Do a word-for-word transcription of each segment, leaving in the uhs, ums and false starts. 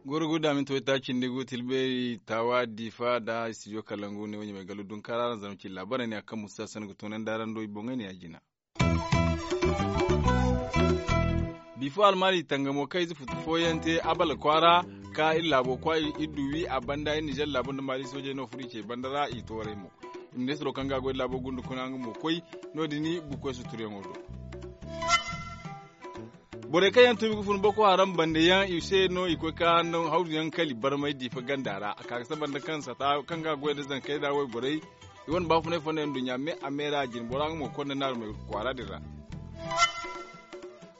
Goro guda minti wayta cindi gu tilbeeri taawa diifa nda studio kalangu ne wo ɲamay gallu dunkaara araŋ zama ci laabaarey ne a kaŋ musa sanda ga toonandi araŋ do i boŋey ne ya jina. Bifo almaali tangamo kaŋ ize futu fooyaŋ te abala kwaara ka iri laabo kwaayi iri du wi a banda iri nizer laabo nda maali soojey no furo i ce banda ra i tooray mo. Ministiro kaŋ ga a goy laabo gunda kuna nga mo koy no- din bukoy suturyaŋo do. Borey kaŋ yaŋ tuubi ga fun boko haram bande yaŋ i se no i koy ka hawru yaŋ kali barmay diifa ganda ra a ka ga saba nda kaŋ sata kaŋ ga a goy nda zankey da wayborey. I wane baafunay fonda yaŋ nduɲɲa me a me ra a jine bora nga mo konda naarumey kwaara din ra.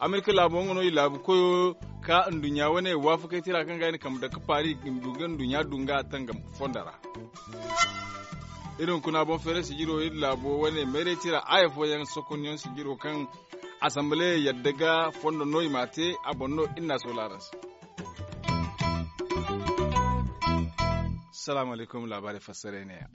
Amerika laabo nga no i laabu koyo ka nduɲɲa wane waafakey tira kaŋ ga i na kambe dake paari i du ga nduɲɲa du nga tangam fondo ra. Iri hunkuna boŋ feeray sijiro iri laabo wane mayray tira aya fooyaŋ sokonyaŋ sijiro kaŋ asambale yadda ga fondo no i m'a te a boŋ no iri n'a soola araŋ se. Salaamu alaykum laabaarey fassaray ne ya.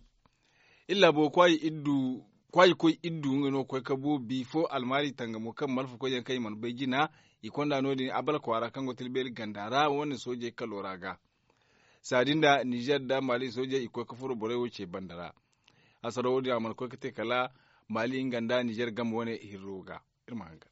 Iri laabo kwaayi koy iri du nga no koy ka bu bifo almaari tangamo kaŋ malfa koyyaŋ kaŋ i mana bay jina. I konda no- din abala kwaara kaŋ go tilbeeri ganda ra wane soojey kalo ra ga. Saadi nda nizer nda maali soojey i koy ka furo borey wo ce banda ra. Hasaro wo- din a mana koy ka te kala maali nga nda nizer game wane hirro ga. Iri ma hanga.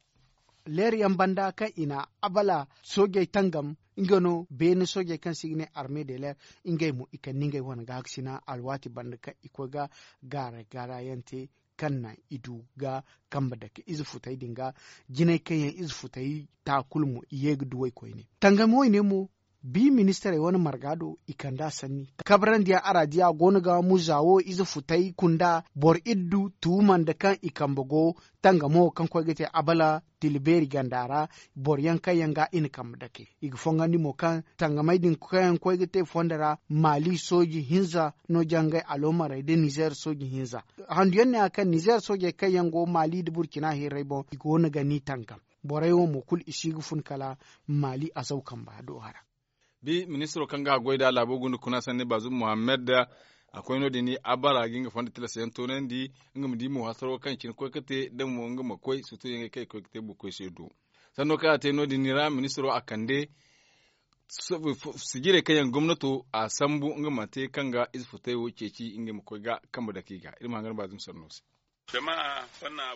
Leeri yaŋ banda kaŋ i na abala soojey tangam nga no beene soojey kaŋ se i ga ne arme de leer. Ngey mo i kande ngey wane gaahakasina alwaati banda kaŋ i koy ga gaara gaara yaŋ te kaŋ naŋ i du ga kambe dake ize futey din ga. Jinay kaŋ yaŋ ize futey ta kulu mo i ye ga duwey koyne tangam wayne mo. Bi ministirey wane marga do i kand'a sanni kabrandi yaŋ araadiya go no ga muza wo ize futey kunda boro iddu tuuma nda kaŋ i kambe go tangamo kaŋ koy ga te abala tila beeri ganda ra. Boro yaŋ kaŋ yaŋ ga i na kambe dake i ga fongandi mo kaŋ tangamey din kaŋ yaŋ koy ga te fondo ra maali sooji hinza no jangay aloomarey nda nizer sooji hinza. Handu yaŋ ne- ya kaŋ nizer soojey kaŋ yaŋ go maali nda burcina hirrey boŋ i go no ga ni tangam. Borey wo mo kulu i si ga fun kala maali azaw kamba do a ra. Bi ministiro kaŋ ga a goy nd'a laabo gunda kuna sanni baazum muhammad a koy no- din abara ga nga fondo tilas yaŋ toonandi. Nga ma di mo hasaro kaŋ cine koy ga te da mo nga ma koy sutuyaŋey kaŋ i koy ga te bukoy se do. Sanno kaŋ a te no- din ra ministiro a kande sijirey kaŋ yaŋ gomnato a sambu nga ma te kaŋ ga ize futay wo ceeci ngey ma koy ga kambe dake i ga iri ma hangan baazum sanno se.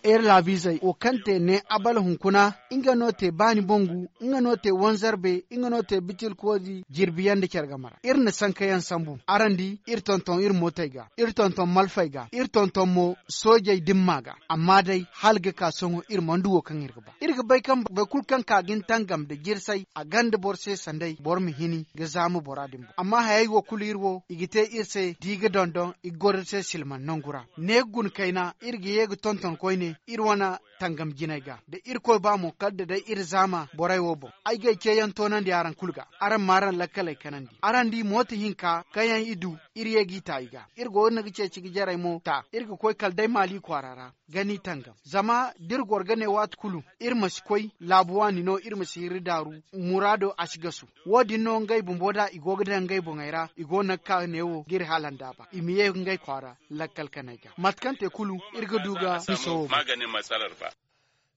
Iri laabiizey wo kaŋ te ne abala hunkuna nga no te baani bangu nga no te wanzarbe nga no te bitilkoodi jirbiyaŋ nda care game ra iri na sankayaŋ sambu araŋ di iri tonton iri mootey ga iri tonton malfey ga iri tonton mo soojey dimma ga. Amma day hala ga ka sohõ iri mana du wo kaŋ iri ga ba iri ga bay kaŋ boro kulu kaŋ ka ga ni tangam nda jirsay a gonda boro se sanday boro ma hini ga zaama bora din boŋ amma hayey wo kulu iri wo i ga te iri se da i ga dondon i ga goro iri se silman nangu ra ne ga guna kayna iri ga ye ga tonton koyne iri wane tangam jinay ga da irkoy ba mo kala da day iri zaama borey wo boŋ. Ay g'ay ceeyaŋ toonandi araŋ kulu ga araŋ m'araŋ lakkaley kanandi araŋ di mooto hinka kaŋ yaŋ i du iri ye g'i ta i ga iri go no ga ceeci ga jarey mo ta iri ga koy kala day maali kwaara ra ga ni tangam zama da iri goro ga ne waati kulu iri ma si koy laabu waani no iri ma si hirri daaru muraado a si gasu. Wo- din no ngey bumbo da i go ga daŋ ngey boŋey ra i go no ga ka neewo ga iri hala nda a ba i ma ye ngey kwaara lakkal kanay ga mate kaŋ te kulu iri ga du ga bisa wo boŋ.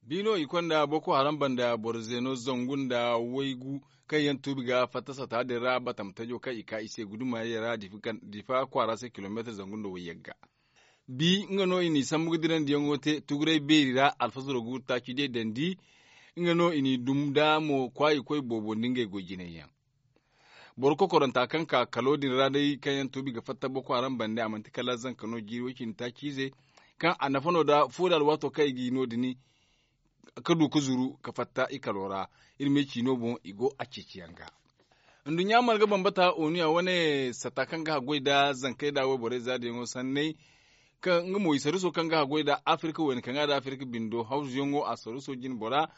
Bi no i konda boko haram banda boro zeeno zangu nda waygu kaŋ yaŋ tuubi ga fatta sata din ra batam tajo kaŋ i ka i se guduma yaŋ ra difa kwaara se kilomeetir zangu nda wayyagga. Bi nga no i n'i sambu ga dirandiyaŋo te tuguray beeri ra alfasaro ga wurtaaci day dandi. Nga no i n'i dum da mo kwaayi koy boobo nda ngey goy jinay yaŋ. Boro kokoranta kaŋ ka kalo din ra day kaŋ yaŋ tuubi ga fatta boko haram bande a manti kala zanka no jiiri way cindi taaci ize kaŋ a nafa no da fo da alwaato kaŋ i ga i no- din ka du ka zuru ka fatta i kalo ra. Iri me ciino boŋ i go a ceeciyaŋ ga. Nduɲɲa marga bambata onuya wane sata kaŋ ga haggoy nda zankey nda wayborey zaadiyaŋo sanney kaŋ nga mo i saruso kaŋ ga haggoy nda afirka wayne kaŋ ga nda afirka bindo hawzuyaŋo a saruso jine bora.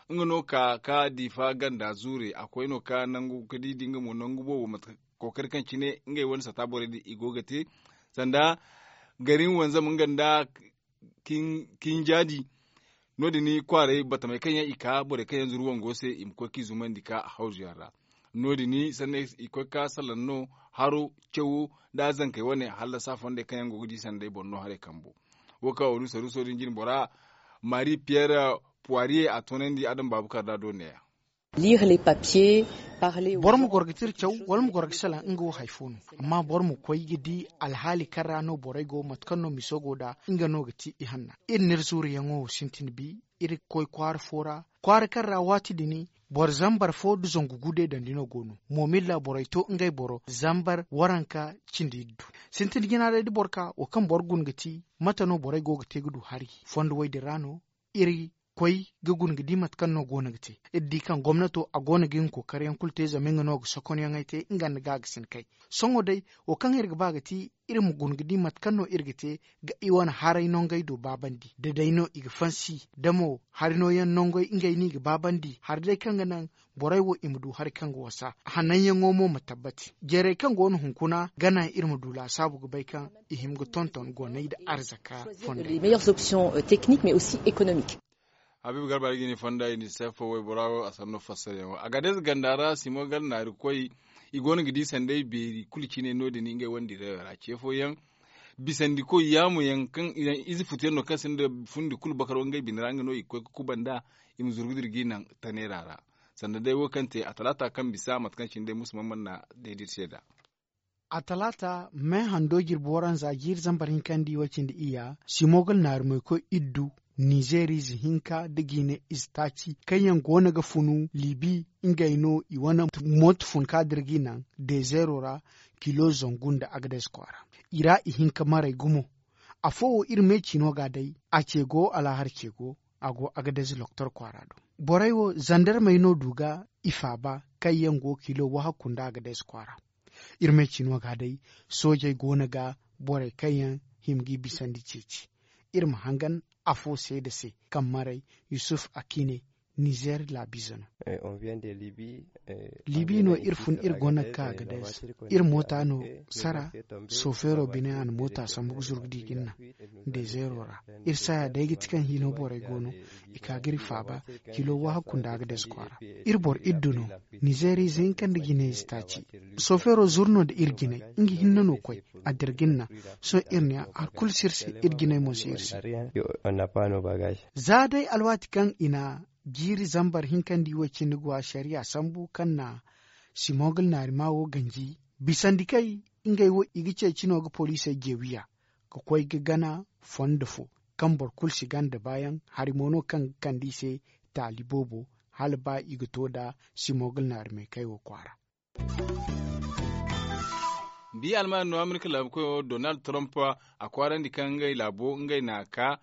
Nga no ka ka diifa ganda zuure a koy no ka nangu ka di di nga mo nangu boobo mate kookari kaŋ cine ngey wane sata borey din i go ga te sanda garin wanzam nga nda kinjaadi. No- din kwaaray batamey kaŋ yaŋ i ka borey kaŋ yaŋ zuru wango se i ma koy k'i zumandi ka hawzu yaŋ ra. No- din sanney i koy ka salaŋ no haro cawo, nda zankey wane hallasa fondey kaŋ yaŋ go ga di sanday boro no haray kambo. Wo kaŋ onusa ruso din jine bora, mari piyer puwariye a toonandi adam baabu karda do neeya. Boro ma goro ga tira caw wala ma goro ga salaŋ nga wo hari fo no. Amma boro ma koy ga di alhaali kaŋ ra no borey go mate kaŋ no miso go nd'a, nga no ga ti ihanna. Iri n'iri zuuriyaŋo wo sintin bi, iri ga koy kwaara fo ra, kwaara kaŋ ra waati din boro zambar fo nda zangu gu deedandi no go no. Moomilla borey to ngey boro zambar waranka cindi iddu. Sintin jina day da boro ka wo kaŋ boro guna ga ti, mate no borey go ga te ga du hari fondo wey din ra no? Iri koy ga guna ga di mate kaŋ no go no ga te. Iri di kaŋ gomnato a go no ga nga kookariyaŋ kulu te zama nga no ga sokonyaŋey te nga nda gaagasinakey. Sohõ day, wo kaŋ iri ga ba ga ti, iri ma guna ga di mate kaŋ no iri ga te ga i wane haray nongey do baabandi da day no i ga fansi da mo hari nooyaŋ nongey ngey no i ga baabandi hari day kaŋ ga naŋ borey wo i ma du hari kaŋ ga wasa hananyaŋo mo ma tabbati. Jeeray kaŋ go no hunkuna ga naŋ iri ma du laasaabu ga bay kaŋ i hima ga tonton goonay nda arzaka fondey. Habiibu garba iri ga ni fonda iri ni seefo waybora wo a sanno fassarayaŋo a ga day za ganda ra simo gar naari koy. I go no ga di sanday beeri kulu cine no- din ngey wane direyo ra ce fooyaŋ bisandi koy yaamu yaŋ kaŋ ize futu yaŋ no kaŋ sinda fundi kulu bakaro ngey bine ra nga no i ga koy ga kuba nd'a. I ma zuru ga dira g'i naŋ taneera ra sanda day wo kaŋ te a talaata kaŋ bisa mate kaŋ cine day musu mana mana day da iri se nd'a. A talaata me hando jirbi waranza jiiri zambar hinka nda i way cindi iyya simogal naari moy koy iddu nizeerize hinka nda jiine ize taaci kaŋ yaŋ go no ga funu libi. Ngey no i wane mooto fun ka dira g'i naŋ dezeero ra kilo zangu nda agades kwaara. I ra i hin ka maray gumo. Afo wo iri me ciino ga day a ce go alahar ce go a go agades loktor kwaara do. Borey wo zandarmey no du ga i faaba kaŋ yaŋ go kilo wahakku nda agades kwaara. Iri me ciino ga day soojey go no ga borey kaŋ yaŋ hima g'i bisandi ceeci. Iri ma hangan afo seeda se kaŋ maray yusuf akine nizer laabiize no. Libi no iri fun iri go no ga ka agades. Iri moota no sara sofeero bine a na moota sambu ga zuru ga di ga ni naŋ dezeero ra. Iri saya day ga ti kaŋ hino borey go no i ka ga iri faaba kilo wahakku nda agades kwaara. Iri boro iddu no nizeeriize hinka nda jinayze taaci. Sofeero zuru no nda iri jinay nga hinne no koy a dira ga ni naŋ. Sohõ iri ne hari kulu si iri se iri jinay mo si iri se. Za day alwaati kaŋ i na jiiri zambar hinka nda i wo cindi go asariya sambu kaŋ na simogal naarima wo ganji bisandi kay ngey wo i ga ceeci no ga poliisey jeewiya ga koy ga gana fondo fo kaŋ boro kulu si ganda baayaŋ hari mo no kaŋ ga kande i se taali boobo hala ba i ga to nda simogal naari meekay wo kwaara. Bi alman no amerika laabu koyo donald trump a kwaarandi kaŋ ngey laabo ngey na ka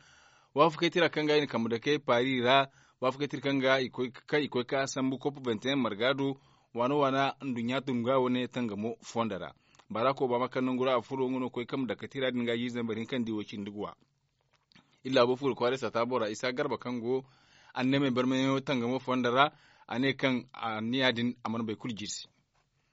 waafakey tira kaŋ ga i na kambe dake paari ra waafakey tira kaŋ ga kaŋ i koy ka sambu kopo benteyaŋ marga do waana waana nduɲɲa tunga wane tangamo fondo ra. Barak obama kaŋ nangu ra a furo nga no koy kambe dake tira din ga jiiri zambar hinka nda i wo cindi ga wa. Iri laabo fuuro kwaaray saata bora isa garba kaŋ go anneemey barmayaŋo tangamo fondo ra a ne kaŋ anniya din a mana bay kulu jirsi.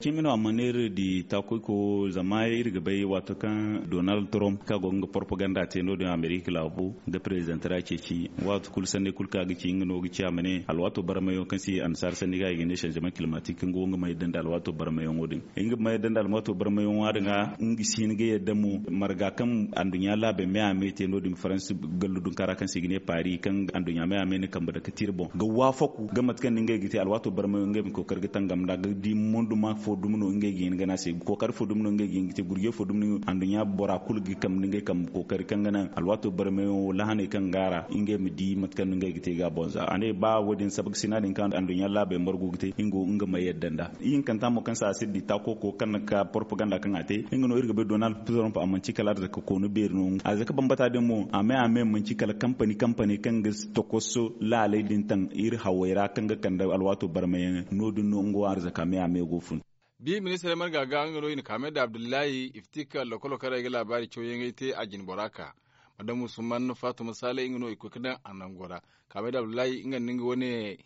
Cimi no a mana iri di taakoyko zama iri ga bay waato kaŋ donald trump kaŋ a go ga nga propaganda te no- din amerika laabu nda prezident ra ceeci waato kulu sanday kulu kaŋ a ga ci nga no ga ci a ma ne alwaato barmayaŋo kaŋ se annasaara sanni ga i ga ne shanzement climatique nga wo nga ma yadda nda alwaato barmayaŋo din. Nga ma yadda nda alwaato barmayaŋo din ga nga si hin ga yadda mo marga kaŋ anduɲɲa laabey me a me te no- din faransi gallu dunkara kaŋ se i ga ne paari kaŋ anduɲɲa me a me na kambe dake tira boŋ ga waafaku ga mate kaŋ no ngey ga te alwaato barmayaŋo ngey ma kookari ga tangam nd'a ga di monduma fo dumi no ngey ga hin ga ne a se kookari fo dumi no ngey ga hin ga te gurjey fo dumi no anduɲɲa bora kulu ga kambe nda ngey kambe kookari kaŋ ga naŋ alwaato barmayaŋo lahaney kaŋ go a ra ngey ma di mate kaŋ no ngey ga te ga a boŋ za a ne ba wo- din sabakasina din kaŋ anduɲɲa laabey margu ga te nga wo nga ma yadda nd'a. Ihinkanta mo kaŋ se a si di taako ko kaŋ na ka propaganda kaŋ a te nga no iri ga bay donald trump a manci kala arzaka koonu beeri no arzaka bambata din mo a me a me manci kala kampani kampani kaŋ ga tokoso laaley din taŋ iri hawey ra kaŋ ga kande alwaato barmayaŋ no- din no nga wo arzaka me a me go fun. Bi ministirey marga ga nga no i na kaamay da abdullahi iftika lokolo kaŋ ra i ga laabaari cawyaŋey te a jine bora ka madam usman fatuma saley nga no i koy ga daŋ a nango ra. Kaamay da abdullahi nga nda nga wane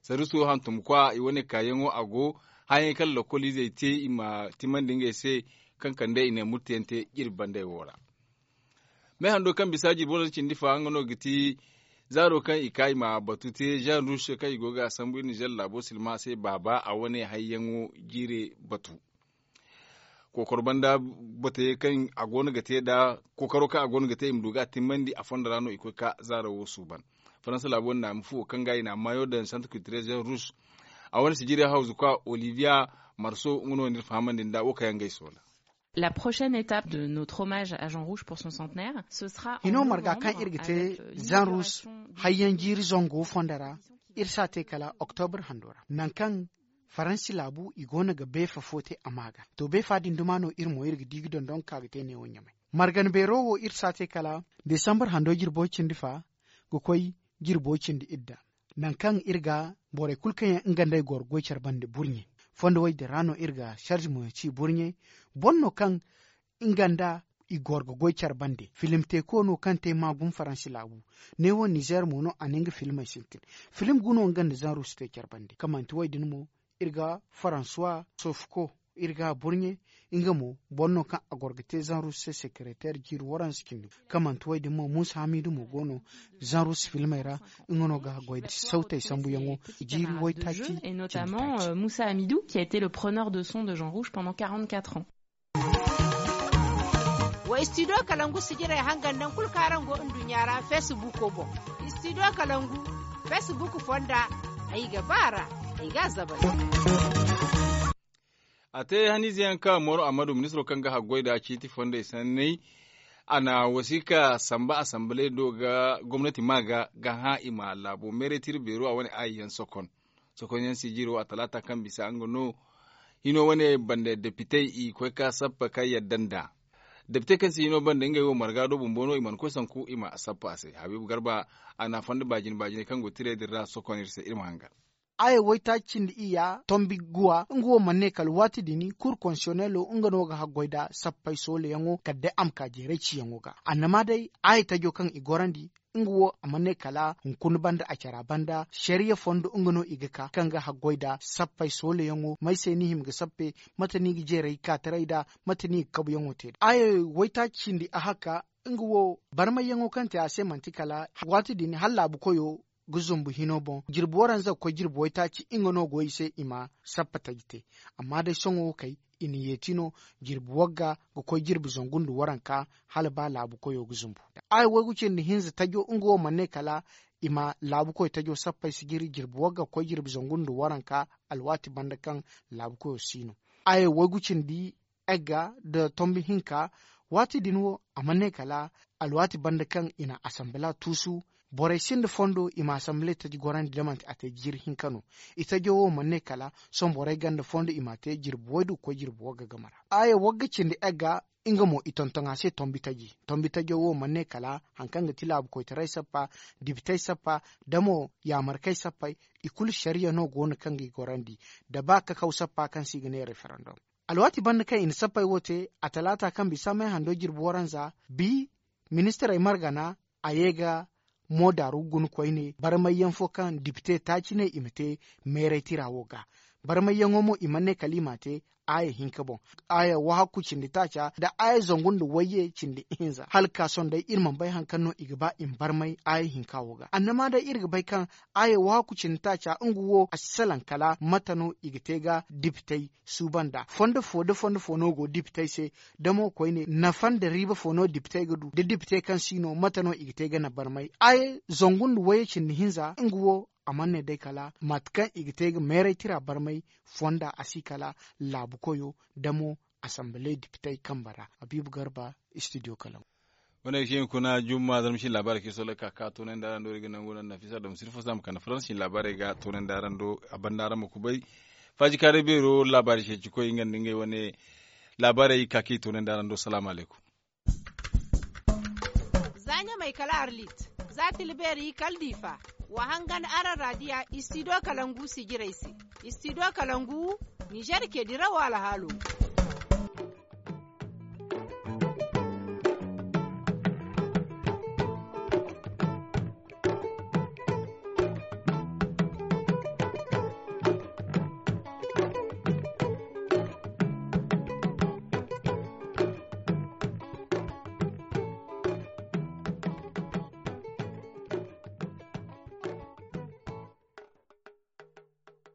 saruso hantumkwa i wane kaayaŋo a go hayaŋey kaŋ lokoliizey te i ma timandi ngey se kaŋ kande i ne murteyaŋ te jirbi bandey wo ra. Me hando kaŋ bisa jirbi wane cindi fa nga no ga ti zaaro kaŋ i ka i ma batu te jean rouge kaŋ i go ga a sambu iri nizer laabo silma se baaba a wane hayyaŋo jiire batu. kookoro banda batayey kaŋ a go no ga te nda kookaro kaŋ a go no ga te i ma du ga a timmandi a fondo ra no i koy ga zaaro wo suuban. Faransa laabo nda a ma fu wo kaŋ ga i na a maayo daŋ santre kiltirezen rus. A wane sijiri hawzu kwa oliviya marso nga no ni iri fahamandi nda wo kaŋ yaŋ ga ay soola. La prochaine étape de notre hommage à Jean Rouge pour son centenaire, ce sera hino marga kaŋ iri ga te zan rus hayyaŋ jiiri zango fondo ra. Iri si a te kala oktobre hando ra nangu kaŋ faransi laabu i go no ga beefa fo te a ma ga to beefa din duma no iri mo iri ga di ga dondon ga ka ga te neewo ɲamay. Margan beero wo iri si a te kala desambar hando jirbo cindi fa ga koy jirbo cindi idda. Nangu kaŋ iri ga borey kulu kaŋ yaŋ nga nd'ey goro goy care bande burɲe fondo wo-din ra no iri ga sarzi mo ci burɲe. Boro no kaŋ nga nda i goro ga goy care bande filim teeko no kaŋ te maagum faransi laabu. Neewo nizer mo no a na nga filimey sintin. Filim guno nga nda zanru si te care bande kaŋ manti wo-din mo iri ga faransuwa sofko iri ga burɲe. Nga mo boro no kaŋ a goro ga te zanru se sekereter jiiri waranza cindi kaŋ manti wo-din mo muusa hamidu mo go no zanru se filimey ra. Nga no ga goy da sawtey sambuyaŋo jiiri waytaaci cindi taaci. Muusa hamidu qui a été le preneur de son de Jean Rouge pendant quarante-quatre ans. Wa studio kalangu sijirey hangan naŋ kulu kaŋ araŋ go nduɲɲa ra facebook boŋ. Studio kalangu facebook fonda ay ga ba ra ay ga a zabay. A te haniize yaŋ ka moro amadu ministiro kaŋ ga haggoy nda ciiti fondey sanney. A na wasiika samba asamble do ga gomnati ma ga ga hã i ma laabo meeray tira beero a wane aayi yaŋ sokon. Sokon yaŋ sijiro a talaata kaŋ bisa nga no hino wane banda depitey i koy ka sappa ka yadda nd'a. Depitey kaŋ si hino banda ngey wo marga do bumbo no i mana koy sanku i ma sappa a se habiibu garba. A na fonda baajine baajiney kaŋ go tirey din ra sokon iri se iri ma hangan. Aya waytaaci cindi iyya tombi guwa nga wo mana ne kala waati din kuur konsiyonelo nga no ga haggoy nda sappey soolayaŋo kala day a ma ka jeeray ciyaŋo ga annama day aya tajo kaŋ i gorandi. Nga wo a mana ne kala hunkuna banda a cara banda sariya fondo nga no i ga ka kaŋ ga haggoy nda sappey soolayaŋo may se ni hima ga sappe? Mate no i ga jeeray kaataray nda mate no i ga kabuyaŋo te nda aya waytaaci cindi ahakka. Nga wo barmayyaŋo kaŋ te a se manti kala waati din hala laabu koyo ga zumbu hino boŋ jirbi waranza ga koy jirbi waytaaci nga no go i se i ma sappa taji te. Amma day sohõ wo kay i na yeeti no jirbi wagga ga koy jirbi zangu nda waranka hala ba laabu koyo ga zumbu. Aya waygu cindi hinza tajo nga wo mana ne kala i ma laabu koy tajo sappay sijiri jirbi wagga ga koy jirbi zangu nda waranka alwaati banda kaŋ laabu koyo si no. Aya waygu cindi egga nda tombi hinka waati din wo a mana ne kala alwaati banda kaŋ i na asambila tuusu. Borey sinda fondo i ma asambila taji gorandi da manti a te jiiri hinka no. I tajo wo mana ne kala sohõ borey ganda fondo i ma te jirbi waydu ga koy jirbi wagga game ra. Aya wagga cindi egga nga mo i tonton a se tombi taji tombi tajo wo mana ne kala hari kaŋ ga ti laabu koytaray sappa dibitey sappa da mo yaamarkey sappey i kulu sariya no go no kaŋ ga i gorandi da ba kakaw sappa kaŋ se i ga ne referandom. Alwaati banda kaŋ i na sappey wo te a talaata kaŋ bisa may hando jirbi waranza bi ministirey margana a ye ga mo daaru guna koyne barmayyaŋ fo kaŋ dipite taaci ne i ma te meeray tira wo ga. Barmayyaŋo mo i mana ne kala i m'a te aaya hinka boŋ. Aaya wahakku cindi taaca nda aaya zangu nda wayye cindi ihinza hala ka sohõ day iri mana bay hari kaŋ no i ga ba i ma barmay aaya hinka wo ga annama day iri ga bay kaŋ aaya wahakku cindi taaca nga wo a si salaŋ kala mate no i ga te ga dipitey suuban da fondo fo da fondo fo no go dipitey se. Da mo koyne nafa nda riiba fo no dipitey ga du da dipitey kaŋ si no mate no i ga te ga naŋ barmay aaya zangu nda wayye cindi hinza nga wo a mana ne day kala mate kaŋ i ga te ga meeray tira barmay fonda a si kala laabu koyo da mo asambale dipitey kambe ra. Habiibu garba studio kalaŋ. Wane ga ci hunkuna jumma zarma sin laabaarey kaŋ i soolay ka ka toonandi araŋ do iri ga nangu naŋ nafisa dom sirfo za ma kande faransa sin laabaarey ga toonandi araŋ do a banda araŋ ma kubay. Faaji kaaray beero laabaari ceeci koy nga nda ngey wane laabaarey ka ka i toonandi araŋ do salaamu alaykum. Za ɲamay kala arlit za tilbeeri kala diifa. Wa hangan araŋ raadiya istido kalangu sijirey se. Istido kalangu ninzeer cee dirawo alhaalo.